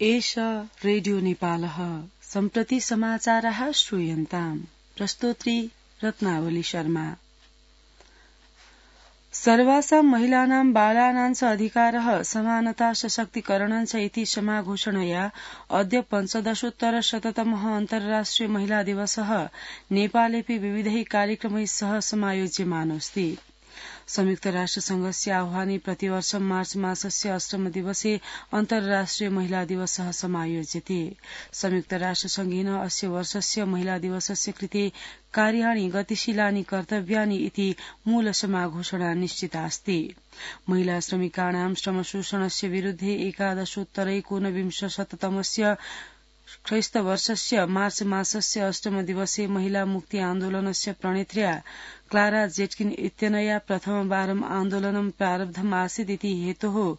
एष रेडियो नेपालः सम्प्रति समाचारः श्रूयन्ताम्। प्रस्तोत्री रत्नावली शर्मा। सर्वासां महिलानां बालानां च अधिकारः समानता सशक्तिकरणं च इति समाघोषणया अद्य 15,000तमः अन्तर्राष्ट्रिय महिला दिवसः नेपालेऽपि विविधैः कार्यक्रमैः सह समायोज्यमानोऽस्ति। संयुक्त राष्ट्र संघस्य आह्वाने प्रतिवर्ष मार्च मासस्य अष्टम दिवसे अन्तर्राष्ट्रिय महिला दिवसः समायोज्यते। संयुक्त राष्ट्र संघेन अस्य वर्षस्य महिला दिवसस्य कृते कार्याणि गतिशीलानि कर्तव्यानि इति मूल समाघोषणा निश्चितास्ति। महिला श्रमिकाणां श्रमशोषणस्य विरुद्धे एकादशोत्तरैकोनविंशशततमस्य ख्रीस्तवर्षस्य मार्च मासस्य अष्टम दिवसे महिला मुक्ति आन्दोलनस्य प्रणेत्र्या क्लारा जेटकिन इत्यनया प्रथमवारं आन्दोलनं प्रारब्धमासीदिति हेतोः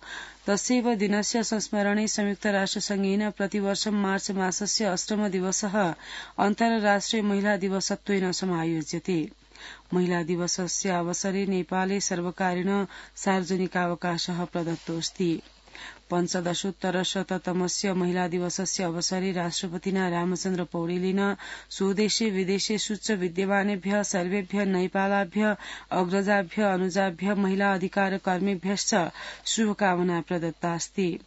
तस्यैव दिनस्य संस्मरणे संयुक्त राष्ट्रसंघेन प्रतिवर्ष मार्च मासस्य अष्टम दिवसः अन्तर्राष्ट्रिय महिला दिवसत्वेन समायोज्यते। महिला दिवसस्य अवसरे नेपाले सर्वकारेण सार्वजनिकावकाशः प्रदत्तोऽस्ति। 15,000तमस्य महिला दिवसस्य अवसरे राष्ट्रपतिना रामचन्द्र पौडेलेन स्वदेशे विदेशेषु च विद्यमानेभ्यः सर्वेभ्यः नेपालाभ्यः अग्रजाभ्यः अनुजाभ्यः महिला अधिकार कर्मीभ्यश्च शुभकामना प्रदत्तास्ति।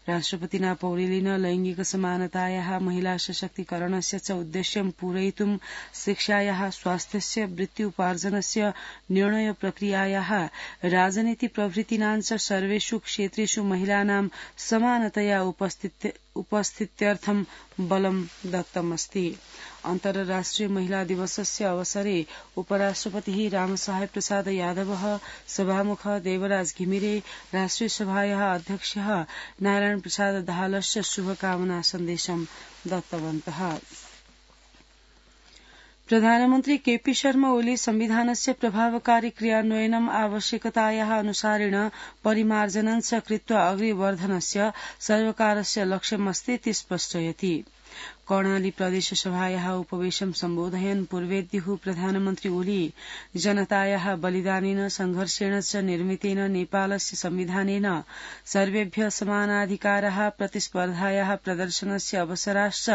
राष्ट्रपतिना पौडेलेन लैंगिक समानतायाः महिला सशक्तिकरणस्य च उद्देश्यं पूरयितुं शिक्षायाः स्वास्थ्यस्य वृत्त्युपार्जनस्य निर्णय प्रक्रियायाः राजनीति प्रभृतीनां च सर्वेषु क्षेत्रेषु महिलानां समानतया उपस्थित्यर्थं बलं दत्तमस्ति। अन्तर्राष्ट्रिय महिला दिवसस्य अवसरे उपराष्ट्रपतिः रामसाहेब प्रसाद यादवः सभामुख देवराज घिमिरे राष्ट्रिय सभायाः अध्यक्षः नारायण प्रसाद दाहालश्च शुभकामना सन्देशं दत्तवन्तः। प्रधानमन्त्री केपी शर्मा ओली संविधानस्य प्रभावकारी क्रियान्वयनम् आवश्यकतायाः अनुसारेण परिमार्जनं च कृत्वा अग्रेवर्धनस्य सर्वकारस्य लक्ष्यमस्ति इति स्पष्टयति। कर्णाली प्रदेश सभायाः उपवेशं सम्बोधयन् पूर्वेद्युः प्रधानमन्त्री ओली जनतायाः बलिदानेन संघर्षेण च निर्मितेन नेपालस्य संविधानेन सर्वेभ्यः समानाधिकाराः प्रतिस्पर्धायाः प्रदर्शनस्य अवसराश्च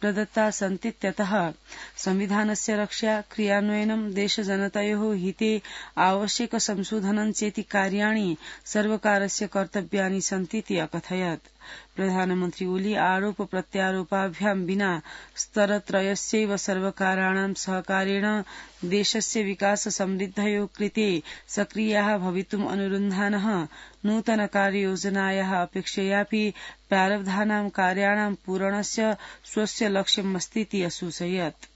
प्रदत्ता सन्तीत्यतः संविधानस्य रक्षा क्रियान्वयनं देशजनतयोः हिते आवश्यक संशोधनं चेति कार्याणि सर्वकारस्य कर्तव्यानि सन्तीति अकथयत्। प्रधानमन्त्री ओली आरोप प्रत्यारोपाभ्यां विना स्तरत्रयस्यैव सर्वकाराणां सहकारेण देशस्य विकास समृद्धयोः कृते सक्रियाः भवितुम् अनुरुन्धानः नूतन कार्ययोजनायाः अपेक्षयापि प्रारब्धानां कार्याणां पूरणस्य स्वस्य लक्ष्यमस्तीति असूचयत्।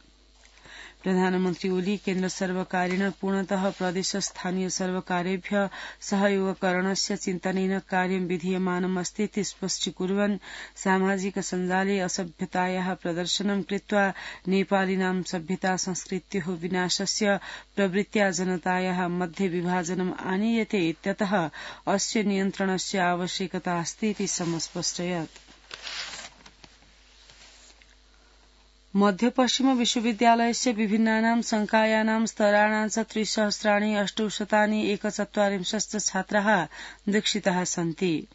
प्रधानमन्त्री ओली केन्द्र सर्वकारेण पूर्णतः प्रदेशस्थानीय सर्वकारेभ्यः सहयोगकरणस्य चिन्तनेन कार्यं विधीयमानमस्ति इति स्पष्टीकुर्वन् सामाजिक सञ्जाले असभ्यतायाः प्रदर्शनं कृत्वा नेपालीनां सभ्यता संस्कृत्योः विनाशस्य प्रवृत्त्या जनतायाः मध्ये विभाजनम् आनीयते इत्यतः अस्य नियन्त्रणस्य आवश्यकता अस्ति इति समस्पष्टयत्। मध्यपश्चिम विश्वविद्यालयस्य विभिन्नानां संकायानां स्तराणां च 3,841 छात्राः दीक्षिताः सन्ति।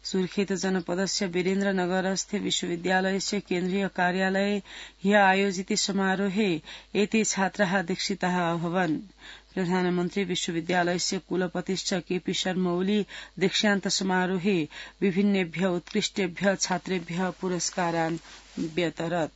सुर्खेत जनपदस्य वीरेन्द्रनगरस्थे विश्वविद्यालयस्य केन्द्रीय कार्यालये ह्यः आयोजिते समारोहे एते छात्राः दीक्षिताः अभवन्। प्रधानमन्त्री विश्वविद्यालयस्य कुलपतिश्च केपी शर्मा ओली दीक्षान्त समारोहे विभिन्नेभ्यः उत्कृष्टेभ्यः छात्रेभ्यः पुरस्कारान् व्यतरत्।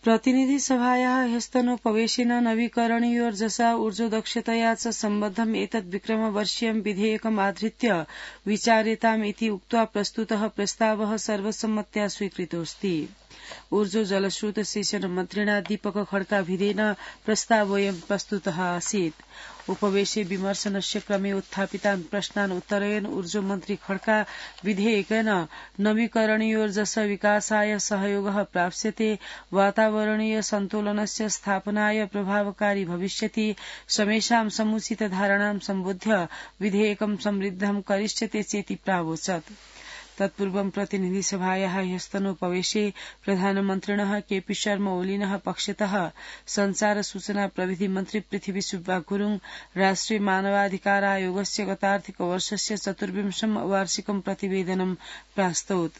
प्रतिनिधि सभायाः ह्यस्तनोपवेशेन नवीकरणीयोर्जसा ऊर्जोदक्षतया च सम्बद्धम् एतद् विक्रमवर्षीयं विधेयकम् आधृत्य विचार्यताम् इति उक्त्वा प्रस्तुतः प्रस्तावः सर्वसम्मत्या स्वीकृतोऽस्ति। ऊर्जो जलस्रोत सेचन मन्त्रिणा दीपक खड्काभिधेन प्रस्तावोऽयं प्रस्तुतः आसीत्। उपवेशे विमर्शनस्य क्रमे उत्थापितान् प्रश्नान् उत्तरयन् ऊर्जो मन्त्री खड्का विधेयकेन नवीकरणीयोर्जस विकासाय सहयोगः प्राप्स्यते, वातावरणीय सन्तुलनस्य स्थापनाय प्रभावकारी भविष्यति, समेषां समुचित धारणां सम्बुध्य विधेयकं समृद्धं करिष्यते चेति प्रावोचत्। तत्पूर्वं प्रतिनिधिसभायाः ह्यस्तनोपवेशे प्रधानमन्त्रिणः केपी शर्मा ओलीनः पक्षतः संचार सूचना प्रविधि मन्त्री पृथ्वी सुब्बा गुरुङ राष्ट्रिय मानवाधिकार आयोगस्य गतार्थिक वर्षस्य 24 वार्षिकं प्रतिवेदनं प्रास्तौत्।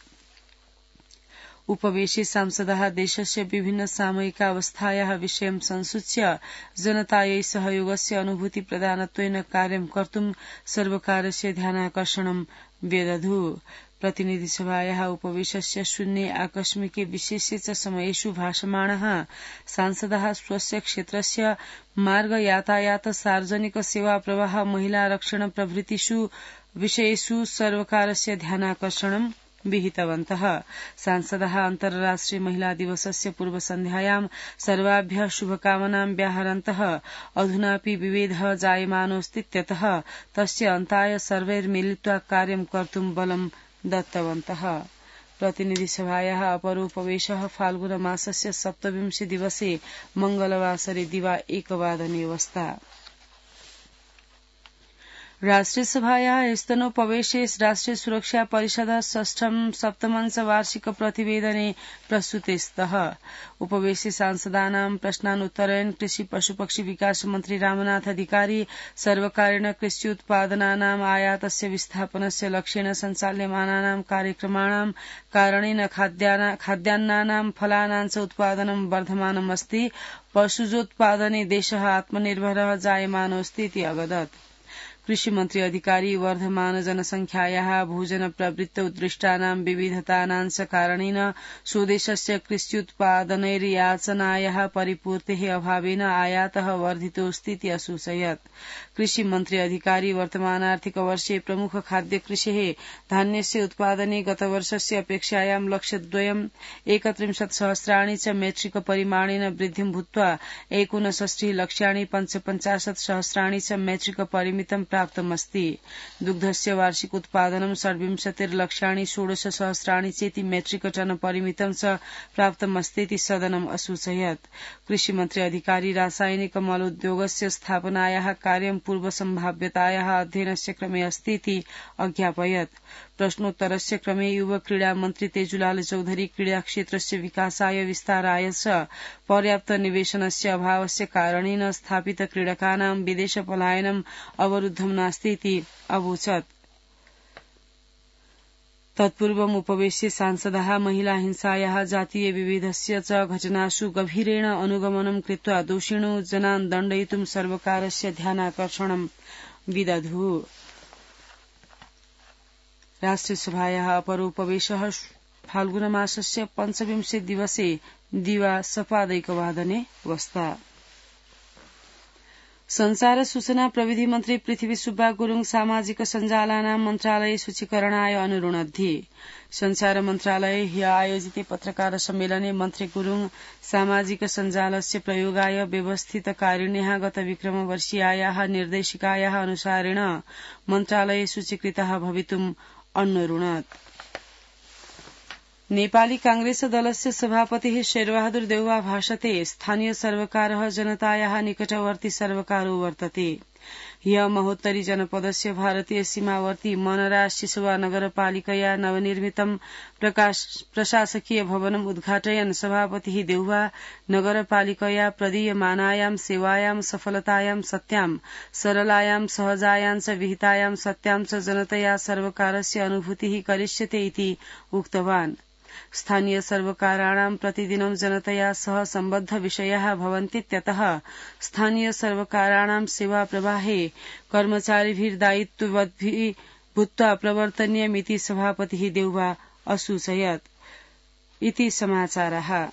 उपवेशे सांसदाः देशस्य विभिन्न सामयिकावस्थायाः विषयं संसूच्य जनतायै सहयोगस्य अनुभूति प्रदानत्वेन कार्यं कर्तुं सर्वकारस्य ध्यानाकर्षणं व्यदधु। प्रतिनिधिसभायाः उपवेशस्य शून्ये आकस्मिके विशेषे च समयेषु भाषमाणः सांसदाः स्वस्य क्षेत्रस्य मार्ग यातायात सार्वजनिक सेवा प्रवाह महिला रक्षण प्रभृतिषु विषयेषु सर्वकारस्य ध्यानाकर्षणं विहितवन्तः। सांसदाः अन्तर्राष्ट्रिय महिला दिवसस्य पूर्वसन्ध्यायां सर्वाभ्यः शुभकामनां व्याहरन्तः अधुनापि विभेदः जायमानोऽस्तीत्यतः तस्य अन्ताय सर्वैर्मिलित्वा कार्यं कर्तुं बलं दत्तवन्तः। प्रतिनिधिसभायाः अपरोपवेशः फाल्गुनमासस्य 27 दिवसे मंगलवासरे दिवा 1 वादने अवस्था। राष्ट्रियसभायाः स्तनोपवेशे राष्ट्रिय सुरक्षा परिषदः षष्ठं सप्तमञ्च वार्षिक प्रतिवेदने प्रस्तुते स्तः। उपवेशे सांसदानां प्रश्नानुत्तरयन् कृषि पशुपक्षी विकास मन्त्री रामनाथ अधिकारी सर्वकारेण कृष्योत्पादनानाम् आयातस्य विस्थापनस्य लक्ष्येन सञ्चाल्यमानानां कार्यक्रमाणां कारणेन खाद्यान्नानां फलानां च उत्पादनं वर्धमानम् अस्ति। पशुजोत्पादने देशः आत्मनिर्भरः जायमानोऽस्ति इति अवदत्। कृषिमन्त्री अधिकारी वर्धमान जनसंख्यायाः भोजन प्रवृत्तौ दृष्टानां विविधतानां च कारणेन स्वदेशस्य कृष्योत्पादनैर्याचनायाः परिपूर्तेः अभावेन आयातः वर्धितोऽस्ति इति असूचयत्। कृषिमन्त्री अधिकारी वर्तमानार्थिक वर्षे प्रमुख खाद्य कृषेः धान्यस्य उत्पादने गतवर्षस्य अपेक्षायां लक्ष्यद्वयं 31,000,000 च मेट्रिक परिमाणेन वृद्धिं भूत्वा 69 लक्ष्याणि 55,000,000 च मेट्रिक परिमितं प्राप्तमस्ति। दुग्धस्य वार्षिक उत्पादनं 26 लक्ष्याणि 16,000,000 चेति मेट्रिक टन परिमितं च प्राप्तमस्तीति सदनम् असूचयत्। कृषिमन्त्री अधिकारी रासायनिक मलोद्योगस्य स्थापनायाः कार्यं पूर्वसम्भाव्यतायाः अध्ययनस्य क्रमे अस्तीति अज्ञापयत्। प्रश्नोत्तरस्य क्रमे युव क्रीडा मन्त्री तेजुलाल चौधरी क्रीडाक्षेत्रस्य विकासाय विस्ताराय च पर्याप्त निवेशनस्य अभावस्य कारणेन स्थापित क्रीडकानां विदेश पलायनम् अवरुद्धं नास्ति इति अवोचत्। तत्पूर्वम् उपवेशे सांसदाः महिला हिंसायाः जातीय विभेदस्य च घटनासु गभीरेण अनुगमनं कृत्वा दोषिणो जनान् दण्डयितुं सर्वकारस्य ध्यानाकर्षणं विदधु। राष्ट्रियसभायाः अपरोपवेशः फाल्गुनमासस्य 25 दिवसे दिवा 1 वादने अवस्था। संचार सूचना प्रविधि मन्त्री पृथ्वी सुब्बा गुरुङ सामाजिक सञ्जालानां मन्त्रालय सूचीकरणाय अनुरुणद्धि। संचार मन्त्रालये ह्य आयोजिते पत्रकार सम्मेलने मन्त्री गुरुङ सामाजिक सञ्जालस्य प्रयोगाय व्यवस्थितकारिण्याः गत विक्रमवर्षीयायाः निर्देशिकायाः अनुसारेण मन्त्रालये सूचीकृतः भवितुम् अन्वरुणत्। नेपाली कांग्रेस दलस्य सभापतिः शेरबहादुर देउवा भाषते स्थानीय सर्वकारः जनतायाः निकटवर्ती सर्वकारो वर्तते। ह्य महोत्तरी जनपदस्य भारतीय सीमावर्ती मनरा सिसवा नगरपालिकया नवनिर्मितं प्रशासकीय भवनम् उद्घाटयन् सभापतिः देउवा नगरपालिकया प्रदीयमानायां सेवायां सफलतायां सत्यां सरलायां सहजायां च विहितायां सत्यां च जनतया सर्वकारस्य अनुभूतिः करिष्यते इति उक्तवान्। स्थानीय सर्वकाराणां प्रतिदिनं जनतया सह सम्बद्ध विषयाः भवन्तीत्यतः स्थानीय सर्वकाराणां सेवा प्रवाहे कर्मचारिभिः दायित्ववद्भिः भूत्वा प्रवर्तनीयमिति सभापतिः देउवा असूचयत्। इति समाचाराः।